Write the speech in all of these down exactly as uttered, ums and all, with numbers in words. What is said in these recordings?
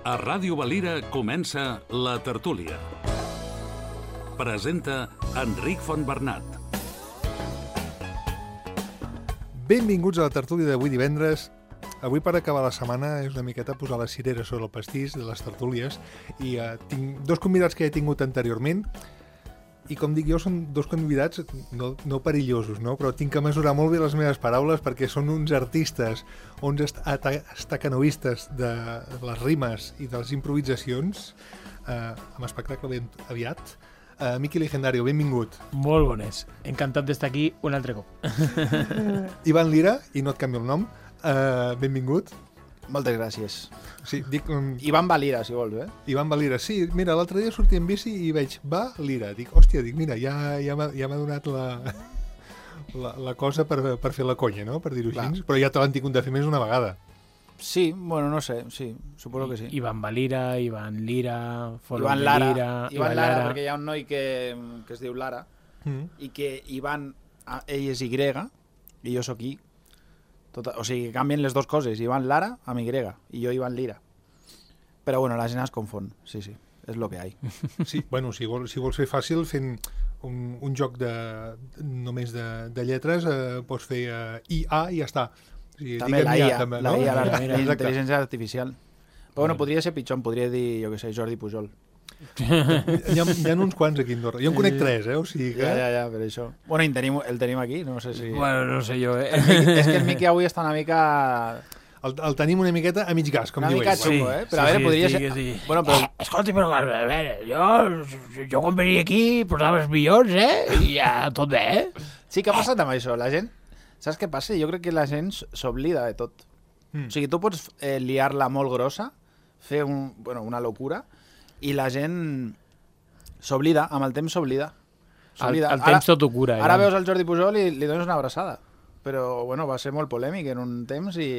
A Ràdio Valira comença La Tertúlia. Presenta Enric Fontbernat. Benvinguts a La Tertúlia d'avui divendres. Avui, per acabar la setmana, és una miqueta posar la cirera sobre el pastís de les tertúlies i uh, tinc dos convidats que he tingut anteriorment i, com dic jo, són dos convidats no, no perillosos, no? Però tinc que mesurar molt bé les meves paraules perquè són uns artistes, uns est estacanoistes de les rimes i de les improvisacions, uh, amb espectacle ben aviat. Uh, Miqui Legendario, benvingut. Molt bones. Encantat d'estar aquí un altre cop. Ivan Lira, i no et canvio el nom, uh, benvingut. Moltes gràcies. Sí, dic... Um, Ivan Valira, si vols, eh? Ivan Valira, sí. Mira, l'altre dia sortia en bici i veig Valira. Dic, hòstia, dic, mira, ja, ja m'ha ja donat la, la, la cosa per, per fer la conya, no?, per dir-ho així. Però ja te l'han tingut de fer més una vegada. Sí, bueno, no sé, sí, suposo que sí. Ivan Valira, Ivan Lira, Foro Ivan de Lara, Lira... Ivan Lara, Lara, perquè hi ha un noi que, que es diu Lara, Mm. i que Ivan, ell és Y, i jo sóc I. Tot, o sigui, canvien les dues coses, Ivan Lara amb Y, i jo Ivan Lira. Però bueno, la gent es confon, sí, sí, és lo que hi ha. Sí, bueno, si vols, si vols fer fàcil, fent un, un joc de, només de, de lletres, eh, pots fer eh, I A i ja està. O sigui, també la I A, també, la no? I A, la, la Exacte. intel·ligència artificial. Però bueno, podria ser pitjor, em podria dir, jo què sé, Jordi Pujol. Hi ha, hi ha uns quants aquí a Andorra. Jo en conec tres, eh? O sigui que... Ja, ja, ja, per això. Bueno, el tenim, el tenim aquí, no sé si... Bueno, no sé jo, eh? El Miqui, és que el Miqui avui està una mica... El, el tenim una miqueta a mig gas, com Una diu mica ell. xungo, eh? Però a veure, podria ser... Sí. Bueno, però... Eh, escolta, però a veure, jo, jo quan venia aquí portava els millors, eh? I ja tot bé, eh? Sí, què ha passat amb això? La gent... Saps què passa? Jo crec que la gent s'oblida de tot. Mm. O sigui, tu pots eh, liar-la molt grossa, fer un, bueno, una locura, i la gent s'oblida, amb el temps s'oblida. El, el temps tot ho cura. Ara ja. veus el Jordi Pujol i li dones una abraçada. Però, bueno, va ser molt polèmic en un temps i,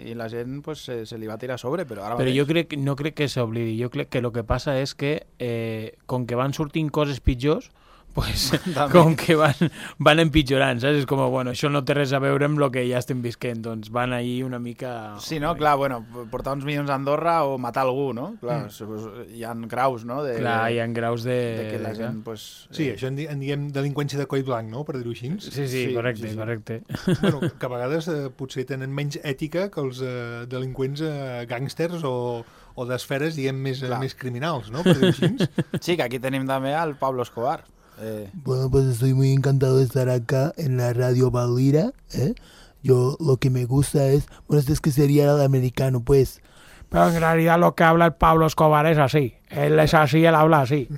i la gent pues, se, se li va tirar a sobre, però ara... Però jo crec, no crec que s'oblidi. Jo crec que el que passa és que, eh, com que van sortint coses pitjors, pues, com que van, van empitjorant, saps? És com, bueno, això no té res a veure amb el que ja estem visquent, doncs van ahir una mica... Sí, no? Clar, bueno, portar uns milions a Andorra o matar algú, no? Clar, mm. hi ha graus, no? De, Clar, hi ha graus de... de que la gent, pues... Sí, eh... això en, di en diguem delinqüència de coll blanc, no?, per dir-ho així. Sí, sí, Sí, correcte, sí, sí. correcte. Bueno, que a vegades eh, potser tenen menys ètica que els eh, delinqüents eh, gàngsters o, o d'esferes, diguem, més, eh, més criminals, no?, per dir-ho així. Sí, que aquí tenim també al Pablo Escobar. Eh... Bueno, pues estoy muy encantado de estar acá en la Radio Valira, ¿eh? Yo lo que me gusta es, bueno, es que sería el americano, pues. Pero en realidad lo que habla el Pablo Escobar es así. Él es así, él habla así.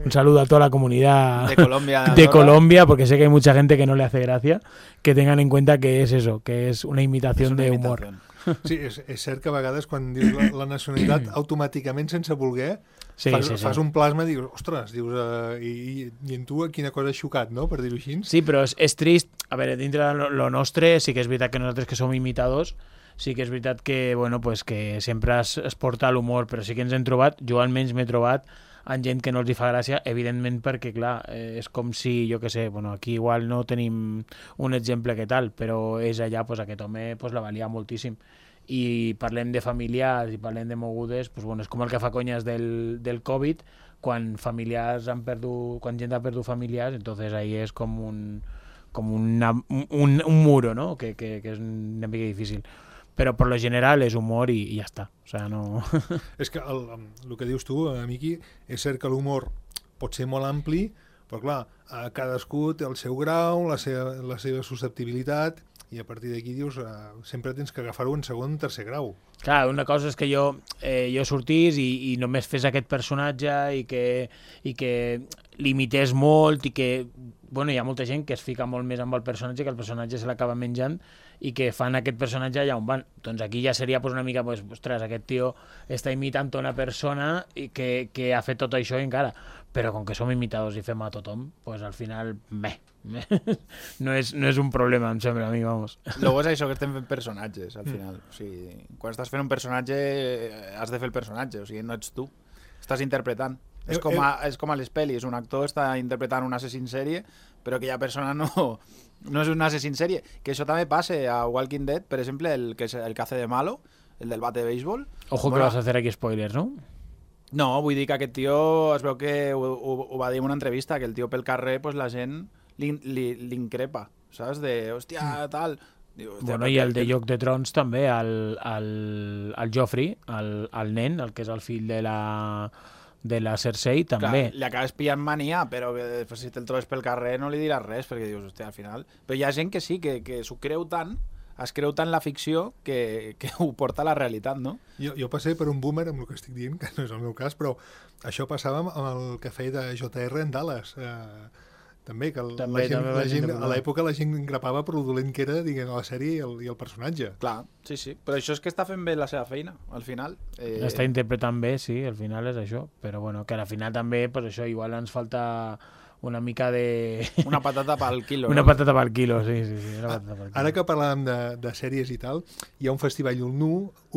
Un saludo a toda la comunidad de Colombia, de Colombia, porque sé que hay mucha gente que no le hace gracia, que tengan en cuenta que es eso, que es una imitación una de imitación. humor. Sí, és, és cert que a vegades quan dius la, la nacionalitat, automàticament, sense voler, Sí, fas, sí, sí. fas un plasma i dius, ostres, dius, uh, i, i, i en tu quina cosa has xocat, no?, per dir-ho així. Sí, però és, és trist. A veure, dintre de lo, lo nostre, sí que és veritat que nosaltres que som imitadors, sí que és veritat que, bueno, pues que sempre es, es porta l'humor, però sí que ens hem trobat, jo almenys m'he trobat amb gent que no els hi fa gràcia, evidentment perquè, clar, eh, és com si, jo què sé, bueno, aquí igual no tenim un exemple que tal, però és allà, pues, aquest home pues, la valia moltíssim. I parlem de familiars i parlem de mogudes, pues, bueno, és com el que fa conyes del, del Covid, quan familiars han perdut, quan gent ha perdut familiars, entonces ahí és com un, com una, un, un muro, no?, que, que, que és una mica difícil. Però per lo general és humor i, i ja està. O sea, no... És que el, el que dius tu, eh, Miqui, és cert que l'humor pot ser molt ampli, però clar, eh, cadascú té el seu grau, la seva, la seva susceptibilitat, i a partir d'aquí dius, eh, sempre tens que agafar-ho en segon o tercer grau. Clar, una cosa és que jo, eh, jo sortís i, i només fes aquest personatge i que, i que l'imités molt i que, bueno, hi ha molta gent que es fica molt més amb el personatge, que el personatge se l'acaba menjant i que fan aquest personatge allà on van. Doncs aquí ja seria pues, una mica, pues, ostres, aquest tio està imitant una persona i que, que ha fet tot això i encara. Però com que som imitadors i fem a tothom, pues al final, meh, meh. No, és, no és un problema, em sembla a mi, vamos. Luego és això que estem fent personatges, al final. O sigui, quan estàs fent un personatge, has de fer el personatge, o sigui, no ets tu. Estàs interpretant. Eh, És com, a, eh. és com a les pel·lis, un actor està interpretant un assassí en sèrie, però aquella persona no, no és un assassí en sèrie. Que això també passa a Walking Dead, per exemple, el que, és el que hace de malo, el del bate de béisbol. Ojo que vas a hacer aquí spoilers, no? No, vull dir que aquest tio es veu que ho, ho, ho va dir en una entrevista, que el tio pel carrer pues, la gent l'increpa, saps? De, hòstia, tal... Diu, hòstia, Bueno, i el de Joc de Trons també, el, el, el Joffrey, el, el nen, el que és el fill de la, de la Cersei, també. Clar, li acabes pillant mania, però que, pues, si te'l trobes pel carrer no li diràs res, perquè dius, hòstia, al final... Però hi ha gent que sí, que, que s'ho creu tant, es creu tant la ficció que, que ho porta a la realitat, no? Jo, jo passé per un boomer amb el que estic dient, que no és el meu cas, però això passava amb el cafè de J R en Dallas. Eh, també, que el, també, la gent, també la gent, gent a l'època la gent grapava per lo dolent que era, diguem, la sèrie i el, i el personatge. Clar, sí, sí. Però això és que està fent bé la seva feina, al final. Eh... Està interpretant bé, sí, al final és això. Però bueno, que al final també, pues això, igual ens falta... una mica de... Una patata pel quilo. Una no? patata pel quilo, sí, sí, sí. Una patata pel quilo. Ara que parlàvem de, de sèries i tal, hi ha un festival Ull Nu,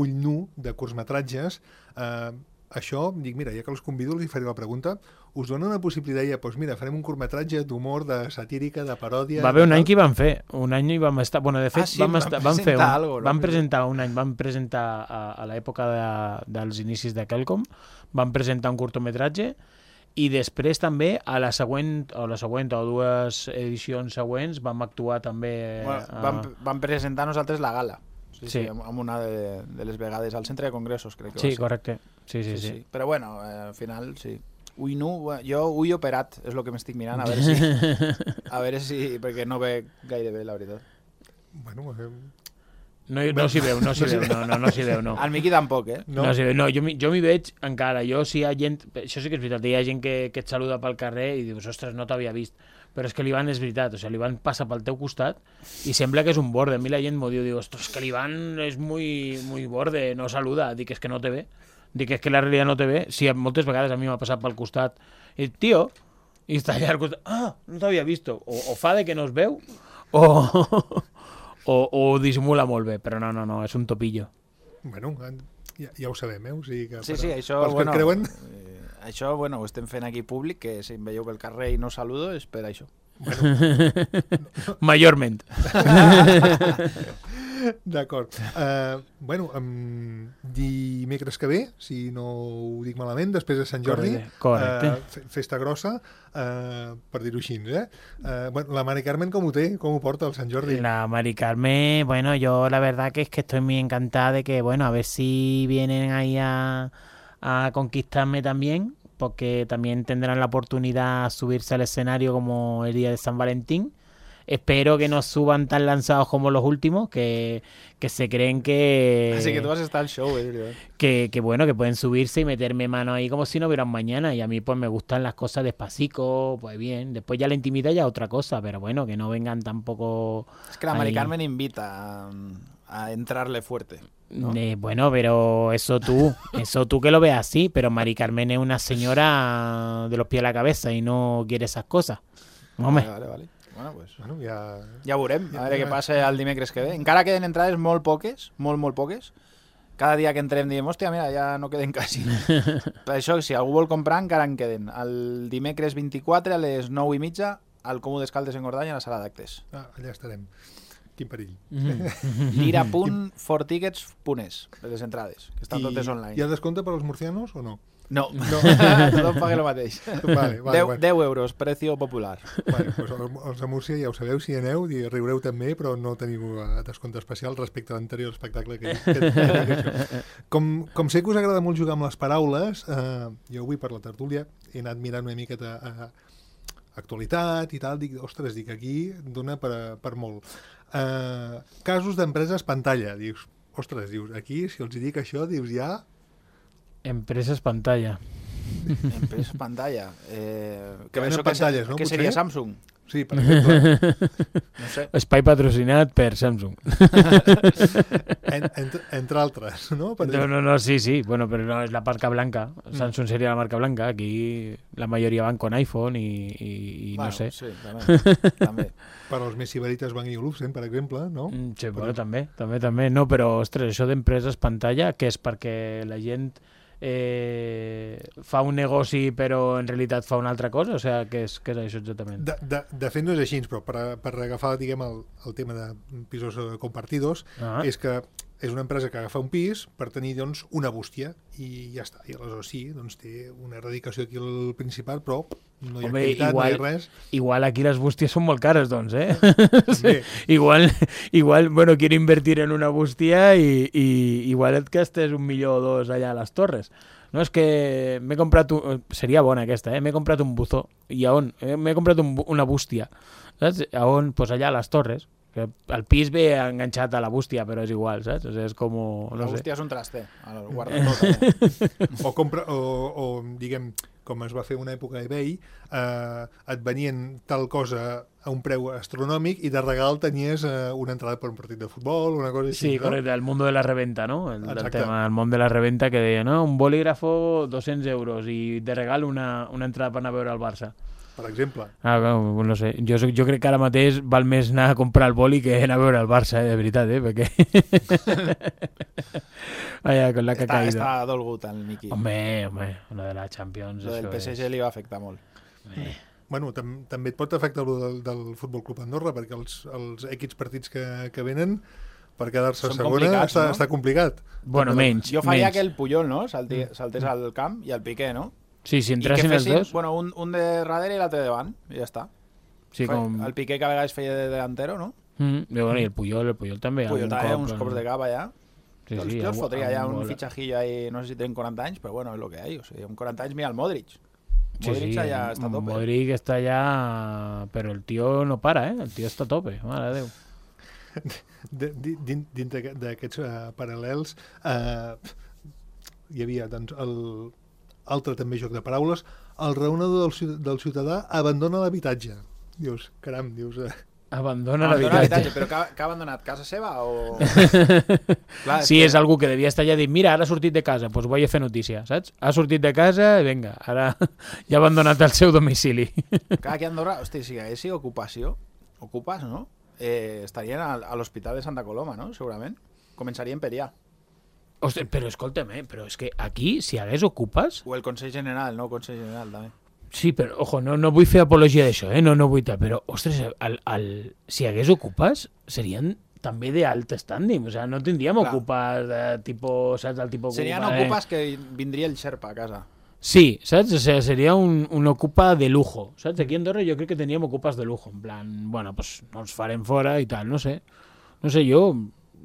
Ull Nu de curtmetratges. Eh, això, dic, mira, ja que els convido, els faré la pregunta. Us dona una possibilitat, ja, doncs mira, farem un curtmetratge d'humor, de satírica, de paròdia... Va haver un any que hi vam fer. Un any hi vam estar... Bueno, de fet, ah, sí, vam, estar, vam fer un... Algo, no? Vam presentar un any, vam presentar a, a l'època de, dels inicis de Quelcom, vam presentar un curtometratge i després també a la següent o la següent o dues edicions següents vam actuar també bueno, a... vam, vam presentar nosaltres la gala sí, sí. Sí, amb una de, de les vegades al centre de congressos crec que sí, va ser. correcte sí, sí, sí, sí, sí. sí. Però bueno, eh, al final sí. Ui, no, jo ui operat és el que m'estic mirant a veure si a veure si, perquè no ve gaire bé la veritat. Bueno, eh... No, no s'hi veu, no s'hi veu, no, no, no s'hi veu, no. El Miqui tampoc, eh? No, no, s'hi veu, no jo, jo m'hi veig encara, jo si hi ha gent, això sí que és veritat, hi ha gent que, que et saluda pel carrer i dius, ostres, no t'havia vist, però és que l'Ivan és veritat, o sigui, l'Ivan passa pel teu costat i sembla que és un borde, a mi la gent m'ho diu, diu, ostres, que l'Ivan és muy, muy borde, no saluda, dic, és que no te ve, dic, és que la realitat no te ve, sí, moltes vegades a mi m'ha passat pel costat, i tio, i està allà al costat, ah, no t'havia vist, o, o fa de que no es veu, o... O, o disimula molt bé, però no, no, no, és un topillo. Bueno, ja, ja ho sabem, eh? O sigui que sí, per, sí, això, pels bueno, que creuen... eh, això, bueno, ho estem fent aquí públic, que si em veieu pel carrer i no saludo és per això. Bueno. Majorment. D'acord. Uh, bueno, um, dimecres que ve, si no ho dic malament, després de Sant Jordi, correcte, correcte. Uh, festa grossa, uh, per dir-ho així, eh? Uh, bueno, la Mari Carmen, com ho té? Com ho porta el Sant Jordi? La Mari Carmen, bueno, yo la verdad que es que estoy muy encantada de que, bueno, a ver si vienen ahí a, a conquistarme también, porque también tendrán la oportunidad de subirse al escenario como el día de San Valentín. Espero que no suban tan lanzados como los últimos, que, que se creen que... Así que tú vas a estar al show, eh, que, que bueno, que pueden subirse y meterme mano ahí como si no hubiera un mañana. Y a mí pues me gustan las cosas despacito, pues bien. Después ya la intimidad ya otra cosa, pero bueno, que no vengan tampoco... Es que la Mari Carmen invita a, a entrarle fuerte, ¿no? Eh, bueno, pero eso tú, eso tú que lo veas así, pero Mari Carmen es una señora de los pies a la cabeza y no quiere esas cosas. Hombre. Vale, vale, vale. Bueno, pues, bueno, ja... ja veurem, a veure què passa el dimecres que ve. Encara queden entrades molt poques, molt, molt poques. Cada dia que entrem diem, hòstia, mira, ja no queden quasi. Per això, si algú vol comprar, encara en queden. El dimecres vint-i-quatre a les nou i mitja al Comú d'Escaldes en Gordany a la sala d'actes. Ah, allà estarem. Quin perill. lira punt fortickets punt es, les entrades, que estan I, totes online. Hi ha descompte per als murcianos o no? No, no. Tothom paga el mateix. Vale, vale, deu, bueno. deu euros, precio popular. Bueno, pues els de Múrcia ja ho sabeu, si aneu, i riureu també, però no teniu descompte especial respecte a l'anterior espectacle que, que, que, que com, com sé que us agrada molt jugar amb les paraules, eh, jo avui per la tertúlia he anat mirant una miqueta a, a actualitat i tal, dic, ostres, dic, aquí dona per, per molt. Eh, casos d'empreses pantalla, dius, ostres, dius, aquí, si els dic això, dius, ja... Empreses pantalla. Empreses pantalla. Eh, que venen pantalles, no? Què seria Samsung? Sí, per exemple. No sé. Espai patrocinat per Samsung. en, entre, entre altres, no? Per no, no, no, sí, sí. Bueno, pero no es la marca blanca. Samsung sería la marca blanca. Aquí la mayoría van con iPhone y, y, y bueno, no sé. Sí, també. també. Per als més sibarites van i Olufsen, per exemple, no? Mm, sí, però... bueno, també, també, també. No, però, ostres, això d'empreses pantalla, que és perquè la gent eh, fa un negoci però en realitat fa una altra cosa? O sigui, què és, què és això exactament? De, de, de fet no és així, però per, per agafar, diguem, el, el tema de pisos compartidos, ah. és que és una empresa que agafa un pis per tenir doncs, una bústia i ja està. I aleshores sí, doncs, té una erradicació aquí al Principat, però no hi ha Home, activitat, igual, no hi ha res. Igual aquí les bústies són molt cares, doncs, eh? També. igual, igual, bueno, quiero invertir en una bústia i, i igual et gastes un milió o dos allà a les Torres. No, és que m'he comprat... Un... Seria bona aquesta, eh? M'he comprat un buzó. I a on? Eh, m'he comprat un, una bústia. Saps? A on? Pues allà a les Torres. Que el pis ve enganxat a la bústia, però és igual, saps? O sigui, és com... No la sé. bústia és un traster. El guarda tot. Eh? O, compra, o, o, diguem, com es va fer una època a eBay, eh, et venien tal cosa a un preu astronòmic i de regal tenies eh, una entrada per un partit de futbol, una cosa així. Sí, no? correcte, el mundo de la reventa, ¿no? El, el Exacte. tema, el món de la reventa que deia, no? Un bolígrafo, doscientos euros i de regal una, una entrada per anar a veure el Barça. Per exemple. Ah, no, no sé, jo, jo crec que ara mateix val més anar a comprar el boli que anar a veure el Barça, eh, de veritat, eh, perquè... Vaya, con la que ha Està, caído. està dolgut el Miqui. Home, home, una de la Champions. Lo del això P S G és... li va afectar molt. Eh. Bueno, tam també et pot afectar el del, del Futbol Club Andorra, perquè els, els equips partits que, que venen per quedar-se a Són segona complicats, està, no? està complicat. Bueno, També- menys, Jo faria menys. que el Puyol, no? Salti, saltés al camp i el Piqué, no? Sí, si I que entressin els fessin, dos... bueno, un, un de darrere i l'altre davant, i ja està. Sí, Fa- com... El Piqué que a vegades feia de delantero, no? Mm, i, bueno, i el Puyol, el Puyol també. Puyol algun també, cop, uns eh, cops de cap allà. Sí, jo, sí, jo els algun- fotria allà algun un gol. fitxajillo ahí, no sé si tenen quaranta anys, però bueno, és el que hi ha. O sigui, amb quaranta anys, mira el Modric. Sí, Modric sí, allà està a tope. Modric està allà, però el tio no para, eh? El tio està a tope, mare de Déu. De, di- din- dintre d'aquest- d'aquests uh, paral·lels uh, hi havia doncs, el altre també joc de paraules, el raonador del, ciu- del ciutadà abandona l'habitatge. Dius, caram, dius... Uh, Abandona Abandona l'habitatge. Però que, ha- que ha abandonat casa seva o... Clar, Sí, que- és algú que devia estar allà dit, mira, ara ha sortit de casa, doncs vaig a fer notícia, saps? Ha sortit de casa i vinga, ara ja ha abandonat el seu domicili. Clar, aquí a Andorra, hosti, si haguessi ocupació, ocupes, no? Eh, estarien a, a l'Hospital de Santa Coloma, no? Segurament. Començarien per allà. Ostres, però escolta'm, eh? Però és que aquí, si hagués ocupes... O el Consell General, no? El Consell General, també. Sí, però, ojo, no, no vull fer apologia d'això, eh? No, no vull tal, però, ostres, el, el, si hagués ocupes, serien també d'alt standing, o sigui, no tindríem Clar. ocupes de tipus, saps, el tipus Serien ocupa, eh? ocupes que vindria el Sherpa a casa. Sí, saps? O sea, seria un, un ocupa de lujo, saps? Aquí a Andorra jo crec que teníem ocupes de lujo, en plan, bueno, pues no els farem fora i tal, no sé. No sé, jo,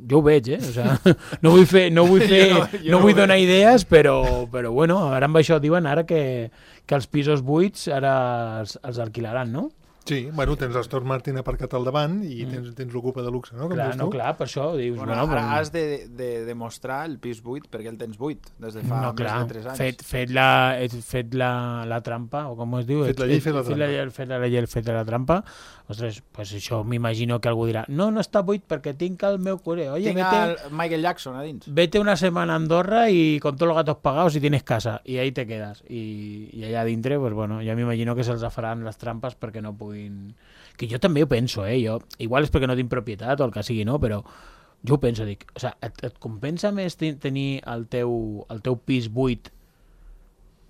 jo ho veig, eh? O sea, no vull fer, no vull fer, Jo no, no- jo no vull ho donar idees, però, però bueno, ara amb això diuen ara que, que els pisos buits ara els, els alquilaran, no? sí, bueno, tens l'Astor Martin aparcat al davant i tens, tens l'ocupa de luxe, no? Com Clar, dius no, tu. clar, per això dius, Bueno, bueno, ara però- has de, de demostrar el pis buit perquè el tens buit des de fa no, més clar, de tres anys. fet, fet, la, fet la, la trampa, o com es diu? Fet la llei, fet la fet la trampa. llei, fet la llei, fet la trampa. Ostres, pues això m'imagino que algú dirà no, no està buit perquè tinc el meu curer. Oye, Tinc vete, el Michael Jackson a dins. vete una semana a Andorra y con todos los gatos pagados y tienes casa. Y ahí te quedas. Y, y allà dintre, pues bueno, ja m'imagino que se'ls faran les trampes perquè no puguin... Que jo també ho penso, eh? Jo, igual és perquè no tinc propietat o el que sigui, no? Però jo ho penso, dic, o sea, et, et compensa més ten- tenir el teu, el teu pis buit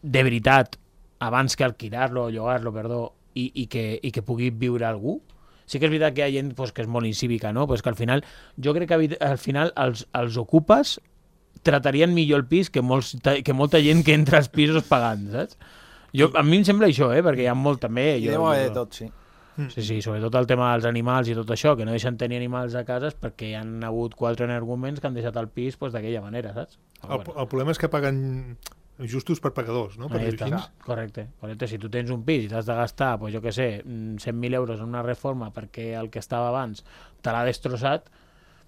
de veritat abans que alquilar-lo o llogar-lo, perdó, i, i, que, i que pugui viure algú? Sí que és veritat que hi ha gent pues, que és molt incívica, no? Pues que al final, jo crec que havi- al final els, els ocupes tratarien millor el pis que, molts, que molta gent que entra als pisos pagant, saps? Jo, a mi em sembla això, eh? Perquè hi ha molt també... I Jo, deu haver jo, de tot, sí. Sí, sí, sobretot el tema dels animals i tot això, que no deixen tenir animals a casa és perquè hi han hagut quatre energúmens que han deixat el pis pues, d'aquella manera, saps? El, el problema és que paguen justos per pagadors, no? Per Ahí dir-ho està. així. Correcte, correcte. Si tu tens un pis i t'has de gastar, pues, jo què sé, cent mil euros en una reforma perquè el que estava abans te l'ha destrossat,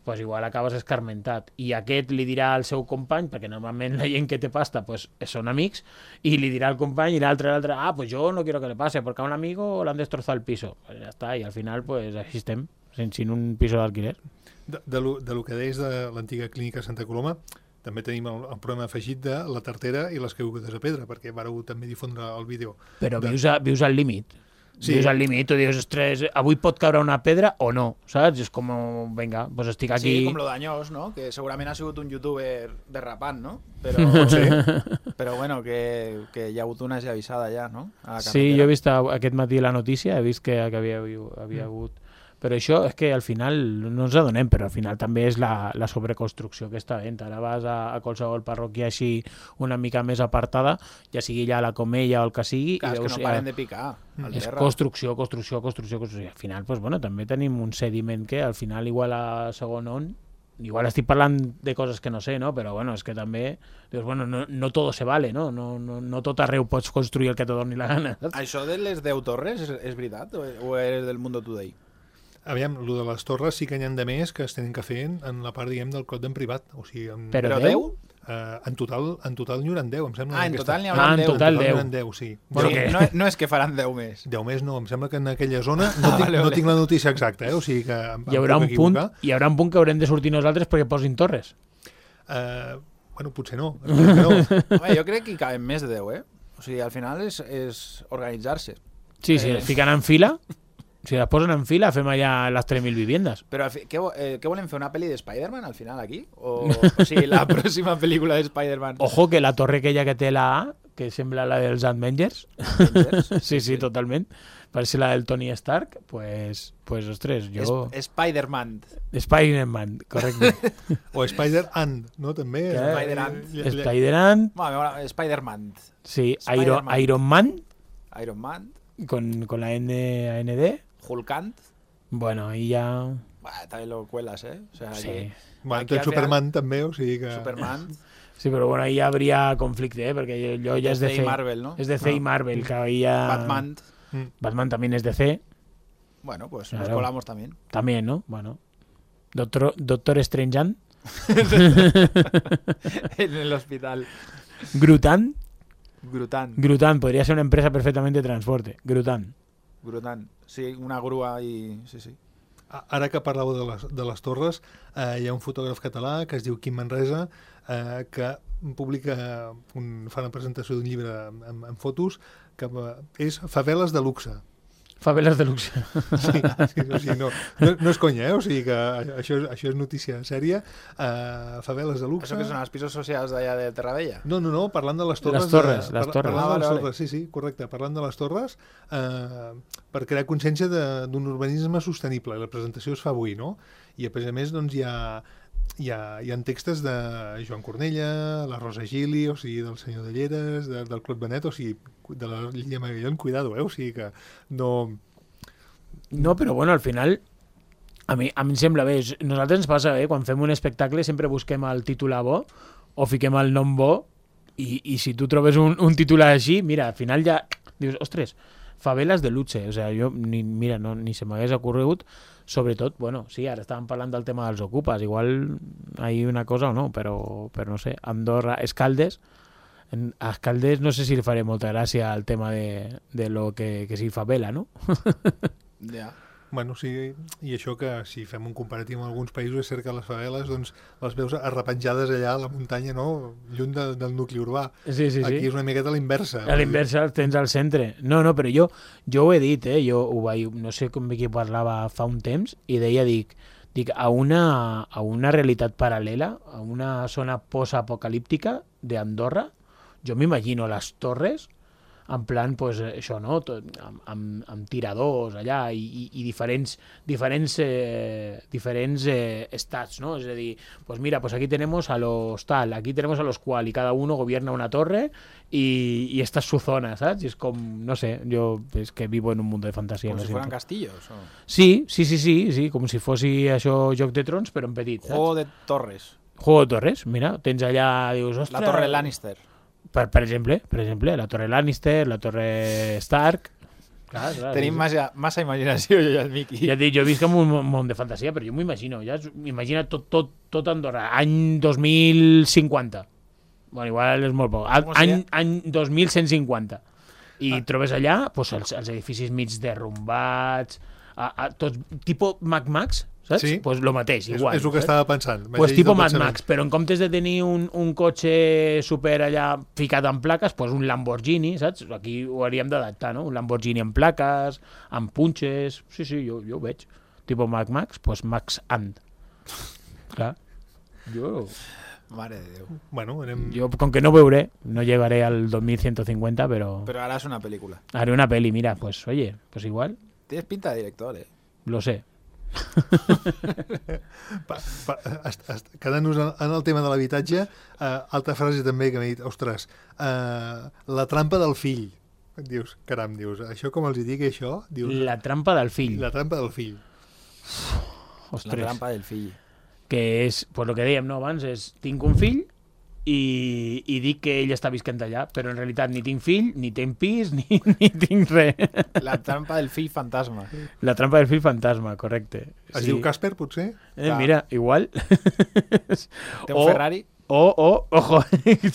pues igual acabes escarmentat. I aquest li dirà al seu company, perquè normalment la gent que té pasta pues, són amics, i li dirà al company i l'altre, l'altre, ah, pues yo no quiero que le pase, porque a un amigo le han destrozado el piso. Pues ja està, i al final pues així estem, sin, sin un piso d'alquiler. De, de, lo, de lo que deies de l'antiga clínica Santa Coloma, també tenim el, el problema afegit de la tartera i les caigudes a pedra, perquè vareu també difondre el vídeo. Però De- vius, a, vius al límit. Sí. Sí. Vius al límit, tu dius, ostres, avui pot caure una pedra o no, saps? És com, vinga, pues estic aquí... Sí, com lo d'Anyós, no? Que segurament ha sigut un youtuber derrapant, no? Però, Sí. però bueno, que, que hi ha hagut una avisada ja, no? A la Sí, carretera. jo he vist a- aquest matí la notícia, he vist que, que havia, havia hagut Però això és que al final no ens adonem, però al final també és la, la sobreconstrucció que està havent. Ara vas a, a qualsevol parròquia així una mica més apartada, ja sigui ja la Comella o el que sigui, Clar, i és que veus, no paren de picar. Al és terra. construcció, construcció, construcció, construcció. Al final, pues, bueno, també tenim un sediment que al final igual a segon on, igual estic parlant de coses que no sé, no? Però bueno, és que també dius, bueno, no, no todo se vale, no? No, no, no tot arreu pots construir el que te doni la gana. Saps? Això de les deu torres és, és veritat o, o és del Mundo Today? Aviam, el de les torres sí que n'hi ha de més que es tenen que fer en la part, diguem, del clot en privat. O sigui, en, Però Però deu? deu? eh, en total en total n'hi hauran deu, em sembla. Ah, en aquesta- total n'hi Ah, haurà en deu. total n'hi deu. hauran deu, sí. Bueno, Sí, que- no, no és que faran deu més. deu més no, em sembla que en aquella zona no, tinc, vale, no vale. tinc la notícia exacta, eh? O sigui que em, Hi haurà, em un puc punt, equivocar. hi haurà un punt que haurem de sortir nosaltres perquè posin torres. Eh, bueno, potser no. Espero que no. Home, jo crec que hi caben més de deu, eh? O sigui, al final és, és organitzar-se. Sí, sí, Eh. les fiquen en fila, si les posen en fila fem allà les tres mil viviendes. Però al fi, què, vo- eh, què volen fer, una pel·li de Spider-Man al final aquí? O, o sigui, la pròxima pel·lícula de Spider-Man. Ojo que la torre aquella que té la A, que sembla la dels Avengers, Avengers. sí, sí, totalment, parece la del Tony Stark, pues, pues ostres, jo... Es- Spider-Man. Spider-Man, correcte. O Spider-Ant, no? També. Què? Spider-Ant. Eh, eh, Spider-Man, Bueno, mola, Spider-Man. sí, Spider-Man. Iron, Iron Man, Iron Man. con, con la N, A N D, Hulkant. bueno, ahí ya... Bah, també lo cuelas, eh? O sea, Sí, aquí- Bueno, aquí té al Superman també, o sigui que... Superman. sí, però bueno, ahí ya habría conflicte, ¿eh? Porque yo ya es de D C C. y Marvel, ¿no? Es de C y Marvel, que ahí ya... Batman. Mm. Batman también es de C, Bueno, pues Claro. nos colamos también. también, ¿no? Bueno. Doctor, Doctor Strangean, En el hospital. Grutan, Grutan. Grutan, podría ser una empresa perfectamente de transporte, Grutan. Grutan. Sí, una grúa i... Sí, sí. A- Ara que parlàveu de les, de les torres, eh, hi ha un fotògraf català que es diu Quim Manresa, eh, que publica, un, fa una presentació d'un llibre amb, amb, amb fotos, que eh, és Faveles de luxe. Favelas de luxe. Sí, sí, o sigui, no, no, no és conya, eh? O sigui que això, és- això és notícia sèria. Uh, faveles de luxe. Això que són els pisos socials d'allà de Terravella? No, no, no, parlant de les torres. Les torres, de, les torres. Parlant Ah, de les vale, vale. torres, sí, sí, correcte. Parlant de les torres, eh, per crear consciència de- d'un urbanisme sostenible. La presentació es fa avui, no? I a més a més, doncs, hi ha, hi ha, hi ha textos de Joan Cornella, la Rosa Gili, o sigui, del senyor de Lleres, de, del Clot Benet, o sigui, de la Lilla Magallón, cuidado, eh? O sigui que no... No, però bueno, al final a mi, a mi em sembla bé. Nosaltres ens passa bé, quan fem un espectacle sempre busquem el titular bo o fiquem el nom bo i, i si tu trobes un, un titular així, mira, al final ja dius, ostres, faveles de luxe. O sea, jo, ni, mira, no, ni se m'hagués ocorregut. Sobretot, bueno, sí, ara estàvem parlant del tema dels ocupes, igual hay una cosa o no, però, però no sé, Andorra, Escaldes, en a Escaldes no sé si li faré molta gràcia al tema de, de lo que, que sí favela, no? Ja. Bueno, sí, i això que si fem un comparatiu amb alguns països és cert que les faveles doncs, les veus arrepenjades allà a la muntanya, no? Lluny de, del nucli urbà. Sí, sí, sí. Aquí és una miqueta a l'inversa. A l'inversa el tens al centre. No, no, però jo, jo ho he dit, eh? Jo ho vaig, no sé com qui parlava fa un temps i deia, dic, dic a, una, a una realitat paral·lela, a una zona post-apocalíptica d'Andorra, jo m'imagino les torres en plan, pues, això, no? Tot, amb, amb, amb tiradors allà i, i, i diferents, diferents, eh, diferents eh, estats, ¿no? Es decir, pues mira, pues aquí tenemos a los tal, aquí tenemos a los cual, y cada uno gobierna una torre y, y esta es su zona, ¿sabes? Y es como, no sé, yo es que vivo en un mundo de fantasía. Com lo si siento. fueran castillos. O... Sí, sí, sí, sí, sí, com si fossi això Joc de Trons, però en petit, saps? Juego de torres. Juego de Torres, mira, tens allà, dius, ostres... La torre Lannister. Per, per exemple, per exemple, la torre Lannister, la torre Stark... Clar, clar, Tenim sí, massa, massa imaginació, jo i el Miqui. sí. Ja et dic, jo visc en un món de fantasia, però jo m'ho imagino, ja m'imagina tot, tot, tot Andorra, any dos mil cinquanta. Bueno, igual és molt poc. Com Any, seria? any dos mil cent cinquanta. I ah. trobes allà pues, els, els edificis mig derrumbats, a, a, tots, tipus Mad Max, saps? Sí. Pues lo mateix, És, igual. és el que saps? estava pensant. Pues Vaig tipo dir del Mad pensament. Max, però en comptes de tenir un, un cotxe super allà ficat en plaques, pues un Lamborghini, saps? Aquí ho hauríem d'adaptar, no? Un Lamborghini amb plaques, amb punxes... Sí, sí, jo, jo ho veig. Tipo Mad Max, pues Max And. Clar. Jo, Mare de Déu. Bueno, anem... jo, com que no veuré, no llegaré al dos mil ciento cincuenta, però Però ara és una pel·lícula. haré una peli, mira, pues oye, pues igual, Tienes pinta de director, eh? lo sé. Pa, pa, est, est, quedant-nos en, en el tema de l'habitatge, uh, altra frase també que m'he dit, ostres, uh, la trampa del fill. Dius, caram, dius, això com els hi dic, això? Dius, La trampa del fill. la trampa del fill. Ostres. La trampa del fill. Que és, pues el que dèiem, no, abans, és tinc un fill i, i dic que ell està visquent allà, però en realitat ni tinc fill, ni tinc pis, ni, ni tinc res. La trampa del fill fantasma. La trampa del fill fantasma, correcte. Es diu Casper, potser? Eh, mira, igual. Té un O- Ferrari? O, o, ojo,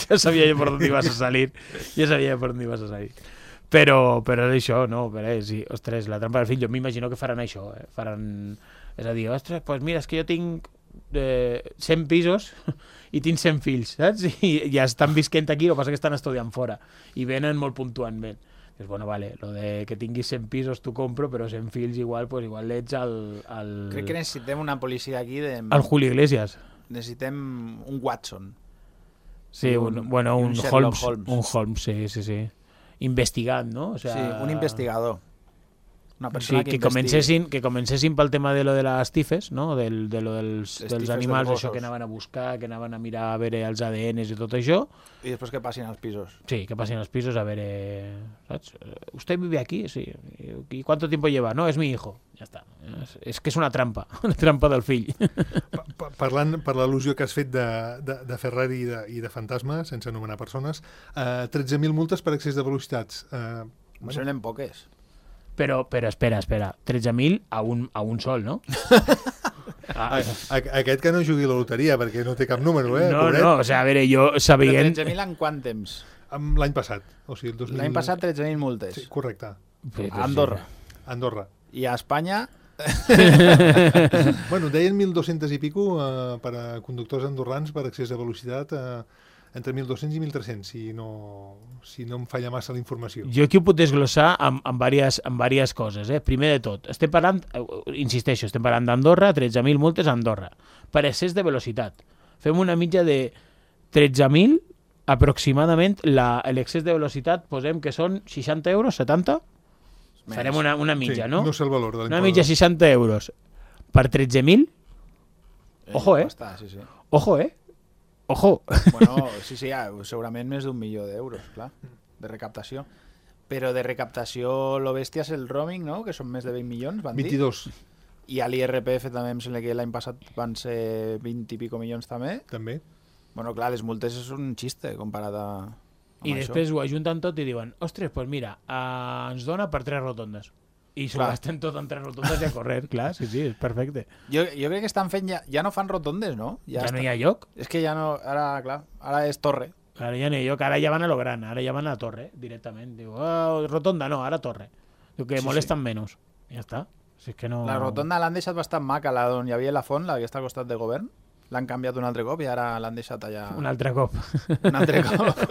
ja sabia jo per on ibas a salir. Ja sabia per on ibas a salir. Però, però és això, no? Però, eh, sí, ostres, la trampa del fill, jo m'imagino que faran això, eh? Faran... És a dir, ostres, doncs pues mira, és que jo tinc eh, cent pisos i tinc cent fills, saps? I ja estan visquent aquí, el que passa que estan estudiant fora i venen molt puntualment. Dius, bueno, vale, lo de que tinguis cent pisos t'ho compro, però cent fills igual, pues igual ets el... el... Crec que necessitem una policia aquí de... el Julio Iglesias. Necessitem un Watson. Sí, un, un- bueno, i un, un Sherlock Holmes, Holmes. un Holmes, sí, sí, sí. Investigant, ¿no? O sea, Sí, un investigador. Una Sí, persona que, que, comencessin, que comencessin pel tema de lo de les tifes, no? Del, de lo dels, Les dels tifes animals, dels això que gossos. anaven a buscar, que anaven a mirar a veure els A D Ns i tot això. I després que passin als pisos. Sí, que passin als pisos a veure... ¿Saps? ¿Usted vive aquí? Sí. ¿Y cuánto tiempo lleva? No, es mi hijo. Ja està. És, és que és una trampa, una trampa del fill. Pa, pa, parlant per l'al·lusió que has fet de, de, de Ferrari i de, i de fantasma, sense anomenar persones, uh, tretze mil multes per excés de velocitats. Uh, Em semblen poques. Però, però espera, espera. tretze mil a un, a un sol, no? a, a, aquest que no jugui a la loteria, perquè no té cap número, eh? No, pobret. no, o sigui, a veure, jo Però sabent... tretze mil en quant temps? Amb L'any passat. O sigui, el dos mil... L'any passat tretze mil multes. Sí, correcte. A Andorra. Andorra. I a Espanya... Bueno, deien mil dos-cents i pico uh, per a conductors andorrans per excés de velocitat, uh, entre mil dos-cents i mil tres-cents, si no, si no em falla massa la informació. Jo aquí ho puc desglossar amb, amb, diverses, amb diverses coses. Eh? Primer de tot, estem parlant, eh, insisteixo, estem parlant d'Andorra, tretze mil multes a Andorra, per excés de velocitat. Fem una mitja de tretze mil, aproximadament, la- l'excés de velocitat, posem que són seixanta euros, setanta? Menys. Farem una, una mitja, sí, no? No sé el valor de Una l'impost. mitja seixanta euros per tretze mil? Ojo, eh? Està, sí, sí. Ojo, eh? Ojo. Bueno, sí, sí, ja, segurament més d'un milió d'euros, clar, de recaptació. Però de recaptació, lo bèstia és el roaming, no?, que són més de vint milions, van dir. vint-i-dos, I a l'I R P F també em sembla que l'any passat van ser vint i pico milions també. també. Bueno, clar, les multes és un xiste comparat a... amb I això. després ho ajunten tot i diuen, ostres, doncs pues mira, eh, ens dona per tres rotondes. I s'ho Clar. gasten tot en tres rotondes i a correr, clar, sí, sí, és perfecte. Jo, jo crec que estan fent ja... Ja no fan rotondes, no? Ja, està. no hi ha lloc, És que ja no... Ara, clar, ara és torre. ara ja no hi ha lloc, ara ja van a lo gran, ara ja van a la torre, directament. Diu, oh, rotonda, no, ara torre. Diu que Sí, molesten menys. Ja està. Si és que no... La rotonda l'han deixat bastant maca, la on hi havia la font, la que està al costat del govern. L'han canviat un altre cop i ara l'han deixat allà... Un altre cop. Un altre cop.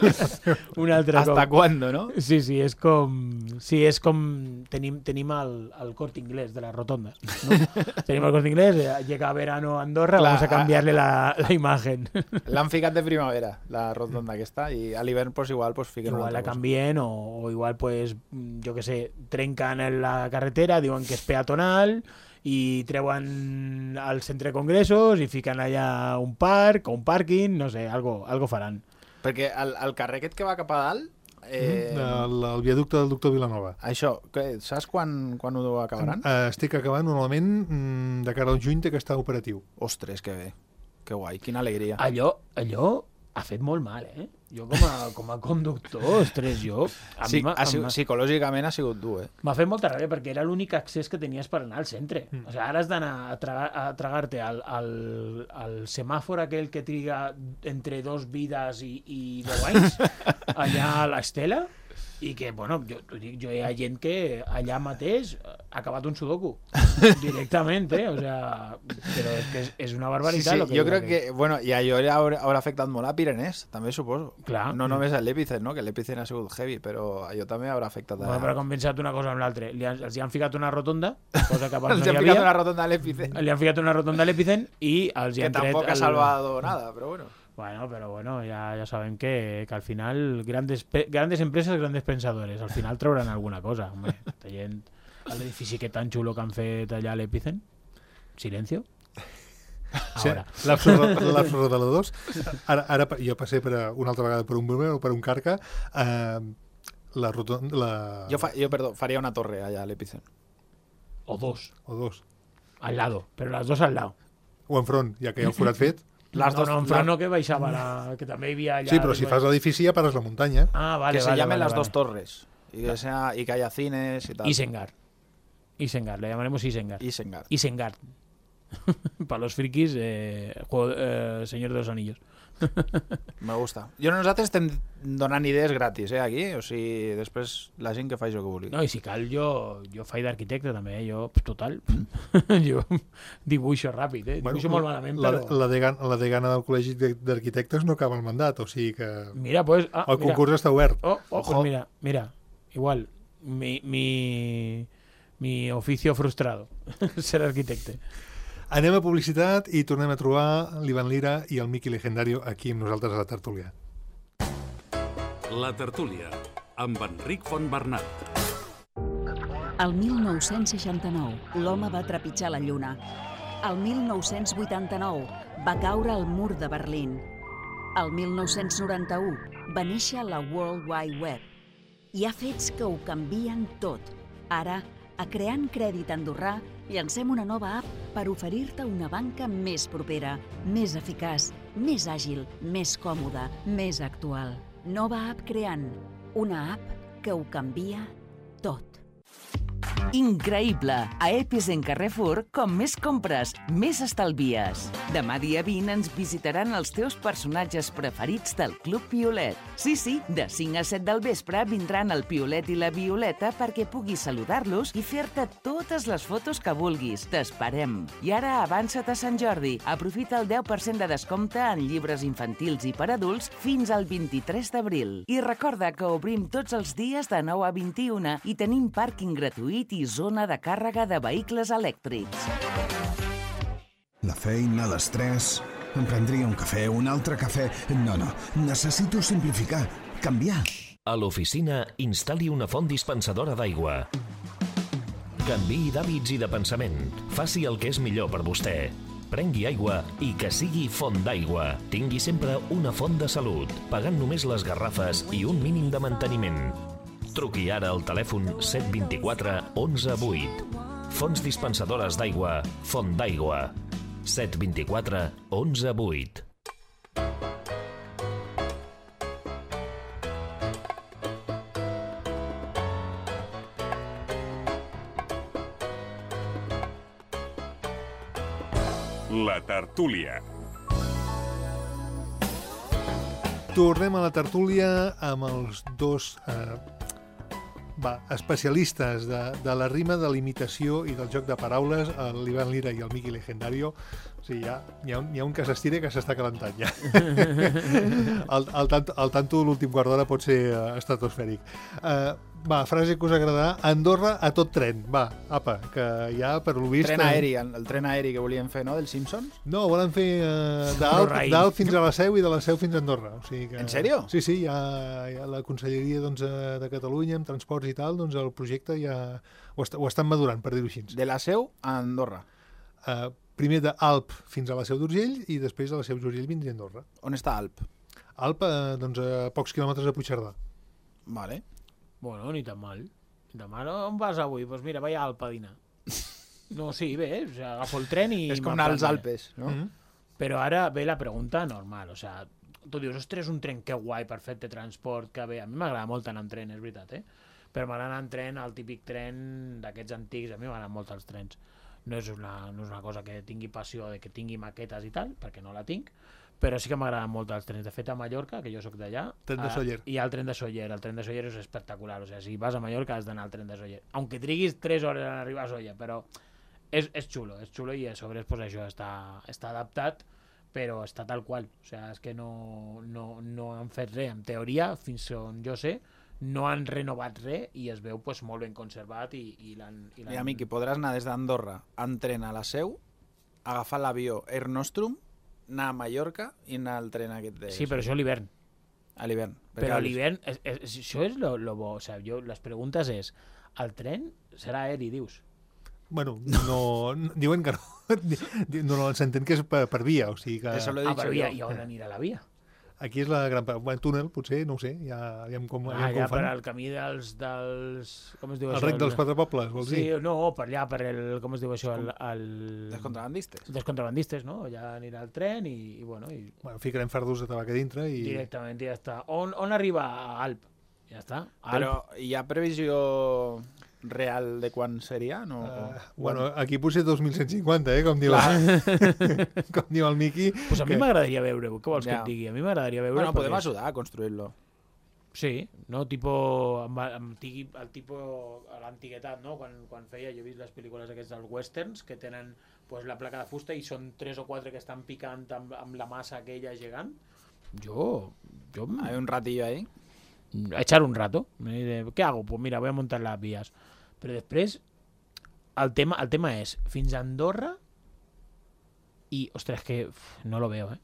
Un altre ¿Hasta cop. cuándo, no? Sí, sí, és com... Sí, és com... Tenim, tenim el, el Corte Inglés de las rotondas, ¿no? Tenim el Corte Inglés, eh, llega verano a Andorra, Clar, vamos a cambiarle la, la imagen. L'han ficat de primavera, la rotonda aquesta, i a l'hivern pues, igual pues, fiquen una Igual la altra cosa. canvien o, o igual, pues, jo que sé, trencan en la carretera, diuen que és peatonal i treuen al centre de congressos i fiquen allà un parc o un pàrquing, no sé, algo, algo faran. Perquè el, el carrer aquest que va cap a dalt, eh, El, el viaducte del doctor Vilanova. això, que, saps quan, quan ho acabaran? Eh, estic acabant, normalment, mm, de cara al juny té que estar operatiu. Ostres, que bé, que guai, quina alegria. Allò, allò ha fet molt mal, eh? Jo com a, com a conductor, ostres, jo... A Sí, mi m'ha- ha sigut, m'ha- psicològicament ha sigut dur, eh? M'ha fet molta ràbia perquè era l'únic accés que tenies per anar al centre. Mm. O sigui, ara has d'anar a, tragar, a tragar-te al, al, al semàfor aquell que triga entre dos vides i, i deu anys, allà a l'Estela, i que, bueno, jo, t'ho dic, jo hi ha gent que allà mateix ha acabat un sudoku. Directament, eh? O sea, però és que és, és una Sí, barbaritat. sí, lo que jo diu crec aquell. que, bueno, i allò haurà, haurà afectat molt a Pirenès, també suposo. Clar. No només a l'Epicent, no? Que l'Epicent ha sigut heavy, però allò també haurà afectat a... Bueno, però com pensat una cosa amb l'altra. Li han, els hi han ficat una rotonda, cosa que abans Els no han hi ficat havia. una rotonda a l'Epicent, Li han ficat una rotonda a l'Epicent i els hi que han tret... tampoc ha el- salvado nada, però bueno. Bueno, pero bueno, ya, ya saben que, que al final grandes, pe- grandes empresas, grandes pensadores. Al final trauran alguna cosa, hombre. Esta gent, l'edifici que tan xulo que han fet allà a l'Epicent. Silencio. Sí, l'Absurdo de la dos. Ara, ara jo passé per a, una altra vegada per un Brumer o per un Carca. Eh, la rotonda... La... Jo, fa, jo perdó, faria una torre allà a l'Epicent. O dos. O dos. Al lado, pero las dos al lado. O enfront, ja que hi ha el forat fet. Las no, dos, no, en front no, que baixava la... que també hi havia allà... Sí, però si fas l'edifici ja pares la muntanya. Ah, vale, que se vale, llamen vale, las vale. dos torres. Y que, sea, y que haya cines y tal. Isengar. Isengar, le llamaremos Isengar. Isengard. Isengar. Para los frikis, eh, juego, eh, Señor de los Anillos. Me gusta. Jo nosaltres estem donant idees gratis, eh, aquí. O sigui, després la gent que faci el que vulgui. No, i si cal, jo, jo faig d'arquitecte també, eh? Jo, total, jo dibuixo ràpid, eh? Dibuixo Bueno, molt malament, la, però... la, degana, la degana del Col·legi d'Arquitectes no acaba el mandat, o sigui que Mira, pues... Ah, el mira. concurs està obert. Oh, oh, pues mira, mira, igual, mi, mi, mi oficio frustrado, ser arquitecte. Anem a publicitat i tornem a trobar l'Ivan Lira i el Miqui Legendario aquí amb nosaltres a la tertúlia. La tertúlia, amb Enric Fontbernat. El mil nou-cents seixanta-nou, l'home va trepitjar la lluna. El mil nou-cents vuitanta-nou, va caure el mur de Berlín. El mil nou-cents noranta-u, va néixer la World Wide Web. Hi ha fets que ho canvien tot. Ara, a Creant Crèdit Andorrà, llancem una nova app per oferir-te una banca més propera, més eficaç, més àgil, més còmoda, més actual. Nova app Creant, una app que ho canvia tot. Increïble! A Epicent Carrefour, com més compres, més estalvies. Demà dia vint ens visitaran els teus personatges preferits del Club Violet. Sí, sí, de cinc a set del vespre vindran el Piolet i la Violeta perquè puguis saludar-los i fer-te totes les fotos que vulguis. T'esperem. I ara avança't a Sant Jordi. Aprofita el deu per cent de descompte en llibres infantils i per adults fins al vint-i-tres d'abril. I recorda que obrim tots els dies de nou a vint i una i tenim pàrquing gratuït i zona de càrrega de vehicles elèctrics. La feina, l'estrès... Em prendria un cafè, un altre cafè... No, no, necessito simplificar, canviar. A l'oficina, instal·li una font dispensadora d'aigua. Canviï d'hàbits i de pensament. Faci el que és millor per vostè. Prengui aigua i que sigui font d'aigua. Tingui sempre una font de salut, pagant només les garrafes i un mínim de manteniment. Truqui ara al telèfon set dos quatre onze vuit. Fonts dispensadores d'aigua, Font d'aigua. set dos quatre onze vuit. La tertúlia. Tornem a la tertúlia amb els dos eh, va, especialistes de, de la rima, de l'imitació i del joc de paraules, l'Ivan Lira i el Miqui Legendario. O sigui, ja, hi, ha un, hi ha un que s'estira que s'està calentant ja. el, el, tanto, el tanto de l'últim quart d'hora pot ser uh, estratosfèric. Uh, va, frase que us agradarà. Andorra a tot tren. Va, apa, que ja per lo vist... Tren aeri, el, el tren aeri que volien fer, no?, dels Simpsons? No, volen fer uh, d'Alp fins a la Seu i de la Seu fins a Andorra. O sigui que, en sèrio? Sí, sí, ja, ja la Conselleria doncs, de Catalunya, amb transports i tal, doncs el projecte ja ho, est ho estan madurant, per dir-ho així. De la Seu a Andorra? Uh, primer d'Alp fins a la Seu d'Urgell i després de la Seu d'Urgell vindria a Andorra. On està Alp? Alp, uh, doncs a pocs quilòmetres de Puigcerdà. Vale. Bueno, ni tan mal. Ni tan mal. On vas avui? Doncs pues mira, vaig a Alp a dinar. No, sí, bé, o sea, agafo el tren i... És com anar als Alpes, no? Mm -hmm. Però ara ve la pregunta normal, o sea, tu dius, ostres, un tren que guai, perfecte, transport, que bé. A mi m'agrada molt anar en tren, és veritat, eh? Però m'agrada anar en tren, el típic tren d'aquests antics, a mi m'agraden molt els trens. No és, una, no és una cosa que tingui passió, de que tingui maquetes i tal, perquè no la tinc, però sí que m'agraden molt els trens. De fet, a Mallorca, que jo sóc d'allà, tren de Sóller. Hi ha el tren de Sóller. El tren de Sóller és espectacular. O sigui, si vas a Mallorca has d'anar al tren de Sóller. Aunque triguis tres hores en arribar a Sóller, però és, és xulo, és xulo i a sobre pues, això està, està adaptat, però està tal qual. O sigui, és que no, no, no han fet res. En teoria, fins on jo sé, no han renovat res i es veu pues, molt ben conservat i, i l'han... Mira, Miqui, podràs anar des d'Andorra en tren a la Seu, agafar l'avió Air Nostrum, anar a Mallorca i anar al tren aquest de... Sí, però això a l'hivern. A l'hivern. Però a l'hivern, això és lo, lo bo. O sigui, jo, les preguntes és, el tren serà aeri, dius? Bueno, no, no, diuen que no. No, no s'entén que és per, per via, o sigui que... Eso lo he Ah, dicho però yo. i on anirà la via? Aquí és la gran... Bueno, túnel, potser, no ho sé, ja aviam com, Ah, aviam ja com per fan. al camí dels... dels com es diu El això? rec dels quatre pobles, vols Sí, dir? no, per allà, per el... Com es diu això? El, el... Els contrabandistes. dels contrabandistes, no? Allà anirà el tren i, i bueno, i Bueno, ficarem fardos de tabac a dintre i... directament i ja està. On, on arriba a Alp? Ja està. Alp. Però hi ha previsió real de quan seria? No? Uh, O- bueno, aquí potser dos mil cent cinquanta, eh, com diu, com diu el Miqui. Pues a mi que- m'agradaria veure-ho, què vols que Ja. et digui? A mi m'agradaria veure Bueno, podem ajudar a construir-lo. Sí, no? Tipo, amb, amb tigui, el tipo a l'antiguitat, no? Quan, quan feia, jo he vist les pel·lícules aquests dels westerns que tenen pues, la placa de fusta i són tres o quatre que estan picant amb, amb la massa aquella gegant. Jo... jo Hay un ratillo ahí. a echar un rato. ¿Qué hago? Pues mira, voy a montar las vías. Però després, el tema, el tema és, fins a Andorra i, ostres, que uf, no lo veo, eh?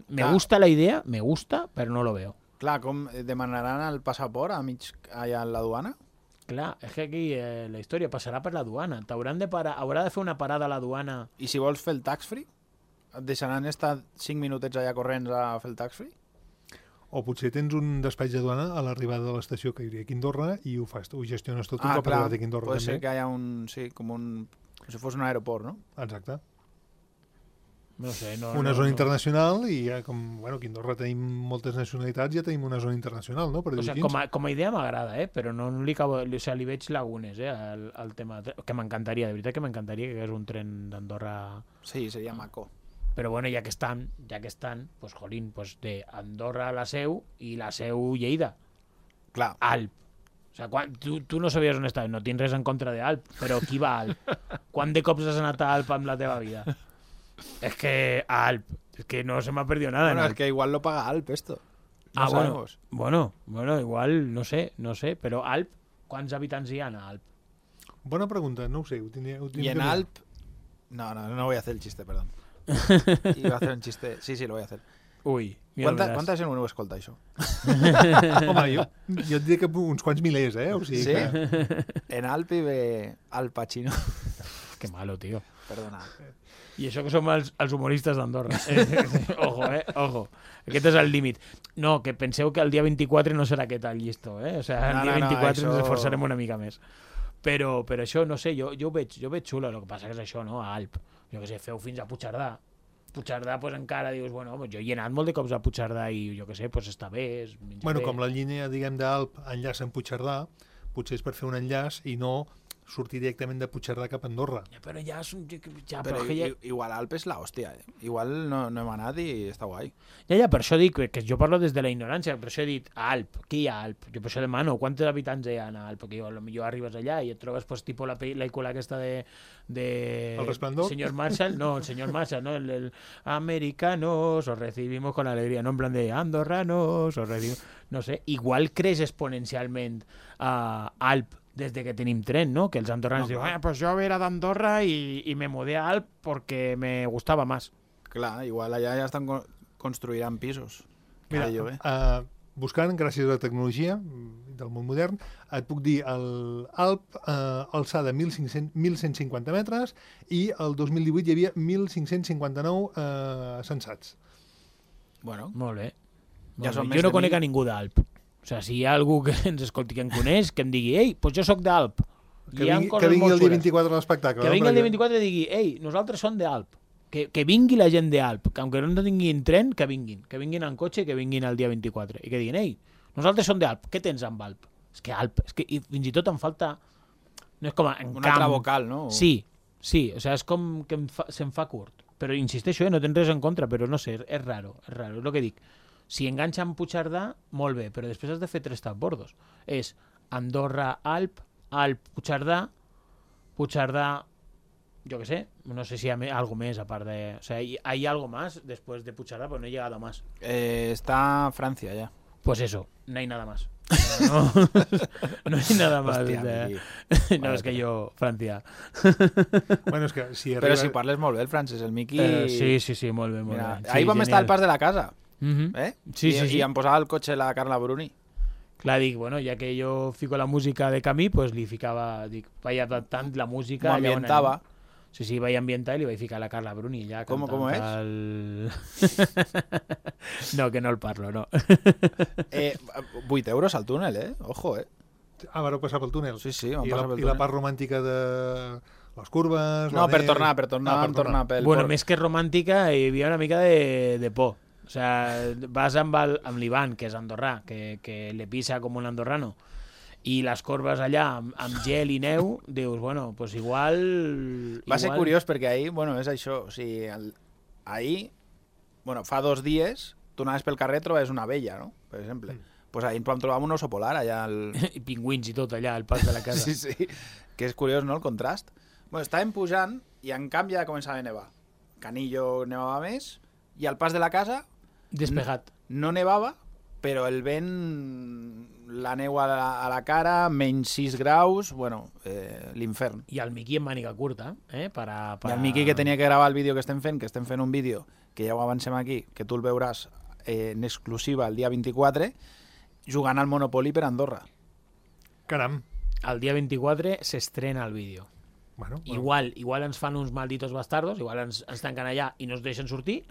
Me Clar. gusta la idea, me gusta, però no lo veo. Clar, com demanaran el passaport a mig allà a la duana? Clar, és que aquí eh, la història passarà per la duana. T'hauran de parar, haurà de fer una parada a la duana. I si vols fer el tax-free? Et deixaran estar cinc minutets allà corrents a fer el tax-free? O potser tens un despatx de duana a l'arribada de l'estació que hi hauria aquí a Andorra i ho fas, ho gestiones tot un Ah, cop clar, arribat aquí a Andorra pot ser també. que hi ha un... Sí, com un... Com si fos un aeroport, no? Exacte. No sé, no... Una no, zona no. internacional i ja com, bueno, aquí a Andorra tenim moltes nacionalitats, ja tenim una zona internacional, no? Per O dir-ho sigui, així. com a, com a idea m'agrada, eh? Però no, no li, acabo, o sigui, li veig lagunes, eh? El, el tema de, que m'encantaria, de veritat que m'encantaria que hagués un tren d'Andorra. Sí, seria maco. Però bueno, ja que estan, ja que estan, pues jolín, pues de Andorra a la Seu i la Seu Lleida. Clar. Alp. O sigui, quan, tu, tu no sabies on estaves, no tinc res en contra d'Alp, però qui va a Alp? Quant de cops has anat a Alp amb la teva vida? És que a Alp, és que no se m'ha perdido nada. Bueno, en es Alp. que igual lo paga Alp, esto. No ah, bueno, sabemos. bueno, bueno, igual, no sé, no sé, però Alp, quants habitants hi ha a Alp? Bona pregunta, no ho sé. Ho tindria, ho Y tindria en que mirar. Alp... No, no, no voy a hacer el chiste, perdón. Iba a hacer un chiste. Sí, sí, lo voy a hacer. Ui, mira, ¿Cuánta, veràs. ¿Cuánta gent ho escolta, això? Home, jo, jo et diria que uns quants milers, eh? O sigui Sí? que... En Alp vive Al Pacino. Que malo, tío. Perdona. I això que som els, els humoristes d'Andorra. Eh, ojo, eh? Ojo. Aquest és el límit. No, que penseu que el dia vint-i-quatre no serà aquest el llistó, eh? O sigui, el No, dia no, no, vint-i-quatre això- ens esforçarem una mica més. Però, però això, no sé, jo, jo, ho veig, jo ho veig xulo. El que passa que és això, no? A Alp. Jo què sé, feu fins a Puigcerdà. Puigcerdà, pues, encara dius, bueno, pues, jo hi he anat molt de cops a Puigcerdà i jo què sé, pues, està bé, es menja Bueno, bé. com la línia, diguem, d'Alp enllaça amb Puigcerdà, potser és per fer un enllaç i no sortir directament de Puigcerdà cap a Andorra. Ja, però ja és un... Ja, Però però que ja... i- igual Alp és la hòstia, eh? Igual no, no hem anat i està guai. Ja, ja, per això dic que jo parlo des de la ignorància, per això he dit a Alp, què hi ha a Alp? Jo per això demano, quants habitants hi ha a Alp? Perquè jo, potser arribes allà i et trobes pues, tipo la pel·lícula aquesta de... de... ¿El Resplandor? Señor Marshall, no, el señor Marshall, ¿no? El, el americanos, os recibimos con alegría, no en plan de andorranos, os recibimos... No sé, igual creix exponencialment a Alp des de que tenim tren, ¿no? Que els andorrans No, diuen, clar. ah, pues yo era d'Andorra y, y me mudé a Alp porque me gustaba más. Clar, igual allà ja estan con- construiran pisos. Mira, Cada lloguer. uh, buscant, gràcies a la tecnologia mm, del món modern, et puc dir el Alp uh, alçada mil cinc-cents mil cent cinquanta metres i el dos mil divuit hi havia mil cinc-cents cinquanta-nou uh, censats. Bueno, Molt bé. Ja Molt són bé. més Jo no de conec mil. a ningú d'Alp. O sigui, si hi ha algú que ens escolti, que em coneix, que em digui, ei, doncs jo sóc d'Alp. Que Hi ha vingui, coses que vingui molt el dia xures. vint-i-quatre a l'espectacle. Que no? vingui el dia Perquè- vint-i-quatre i digui, ei, nosaltres som d'Alp. Que, que vingui la gent d'Alp, que aunque no tinguin tren, que vinguin. Que vinguin en cotxe, que vinguin el dia vint-i-quatre. I que diguin, ei, nosaltres som d'Alp, què tens amb Alp? És que Alp, és que i fins i tot em falta... No és com en un camp. altre vocal, no? Sí, sí, o sigui, és com que em fa, se'm fa curt. Però insisteixo, eh, no tens res en contra, però no sé, és raro, és raro, és el que dic. Si enganxa amb Puigcerdà, molt bé, però després has de fer tres transbordos. És Andorra, Alp, Alp, Puigcerdà, Puigcerdà, yo qué sé, no sé si hay algo más aparte de... O sea, hay, hay algo más después de Puigcerdà, pero no he llegado más. Eh, está Francia ya. Pues eso, no hay nada más. No, no hay nada más. Hòstia, de- Miqui. no, es que yo, Francia. Bueno, és que si Però arriba... si parles molt bé el francès, el Miqui... Eh, sí, sí, sí, molt bé, molt Mira, bé. ahir Sí, vam estar al genial. pas de la casa, Mhm. eh? Sí, I, sí, sí. I em posava el cotxe la Carla Bruni. Clar, dic, bueno, ja que jo fico la música de camí, pues li ficava, dic, vaig adaptant la música... M'ho ambientava. Sí, sí, vaig ambientar i li vaig ficar la Carla Bruni allà Com, com és? El... no, que no el parlo, no. eh, vuit euros al túnel, eh? Ojo, eh? Ah, vareu passar pel túnel? Sí, sí, vam I passar la, pel I la túnel. part romàntica de les curves... No, la per neu... tornar, per tornar, ah, per tornar pel... Bueno, por... més que romàntica, hi havia una mica de, de por. O sea, vas amb, el, amb l'Ivan, que és andorrà, que, que le pisa com un andorrano, i les corbes allà amb, amb gel i neu, dius, bueno, pues igual... Va igual... ser curiós perquè ahir, bueno, és això, o sigui, el... ahir, bueno, fa dos dies, tu anaves pel carrer, trobes una abella, no?, per exemple. Mm. Pues ahir ens vam trobar un oso polar allà al... I pingüins i tot allà al pas de la casa. Sí, sí, que és curiós, no?, el contrast. Bueno, estàvem pujant i en canvi ja començava a nevar. Canillo nevava més i al pas de la casa... Despegat. No nevava, però el vent, la neu a la, a la cara, menys sis graus, bueno, eh, l'infern. I el Miqui en màniga curta, eh? Para, para... I el Miqui que tenia que gravar el vídeo que estem fent, que estem fent un vídeo, que ja ho avancem aquí, que tu el veuràs eh, en exclusiva el dia vint-i-quatre, jugant al Monopoly per Andorra. Caram. El dia vint-i-quatre s'estrena el vídeo. Bueno, bueno. Igual, igual ens fan uns malditos bastardos, igual ens, ens tanquen allà i no ens deixen sortir,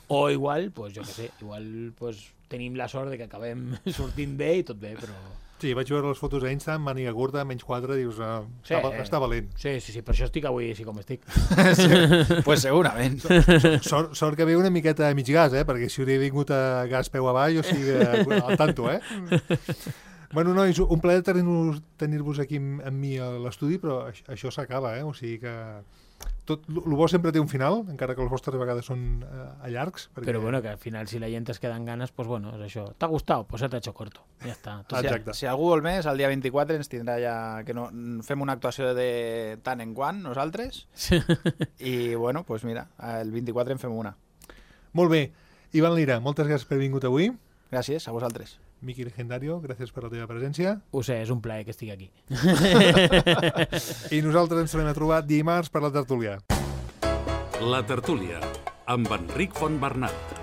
o igual, pues, jo què sé, igual pues, tenim la sort de que acabem sortint bé i tot bé, però... Sí, vaig veure les fotos a Insta, màniga curta, menys quatre, dius, uh, sí, està, està valent. Sí, sí, sí, per això estic avui així com estic. Sí, pues segurament. Sort, sort que ve una miqueta a mig gas, eh? Perquè si hauria vingut a gas peu avall, o sigui, al tanto, eh? Bueno, nois, un plaer tenir-vos tenir aquí amb, amb mi a l'estudi, però això, això s'acaba, eh? O sigui que... Tot, el bo sempre té un final, encara que les vostres vegades són eh, a llargs. Perquè... Però bueno, que al final si la gent es queda amb ganes, pues bueno, és això. ¿T'ha gustat? Pues se t'ha hecho corto. Ja està. Si, Exacte. si algú vol més, el dia vint-i-quatre ens tindrà ja... que no, fem una actuació de tant en quant, nosaltres. Sí. I bueno, pues mira, el vint-i-quatre en fem una. Molt bé. Ivan Lira, moltes gràcies per haver vingut avui. Gràcies, a vosaltres. Miqui Legendario, gràcies per la teva presència. Ho sé, és un plaer que estic aquí. I nosaltres ens tornem a trobar dimarts per la tertúlia. La tertúlia, amb Enric Fontbernat.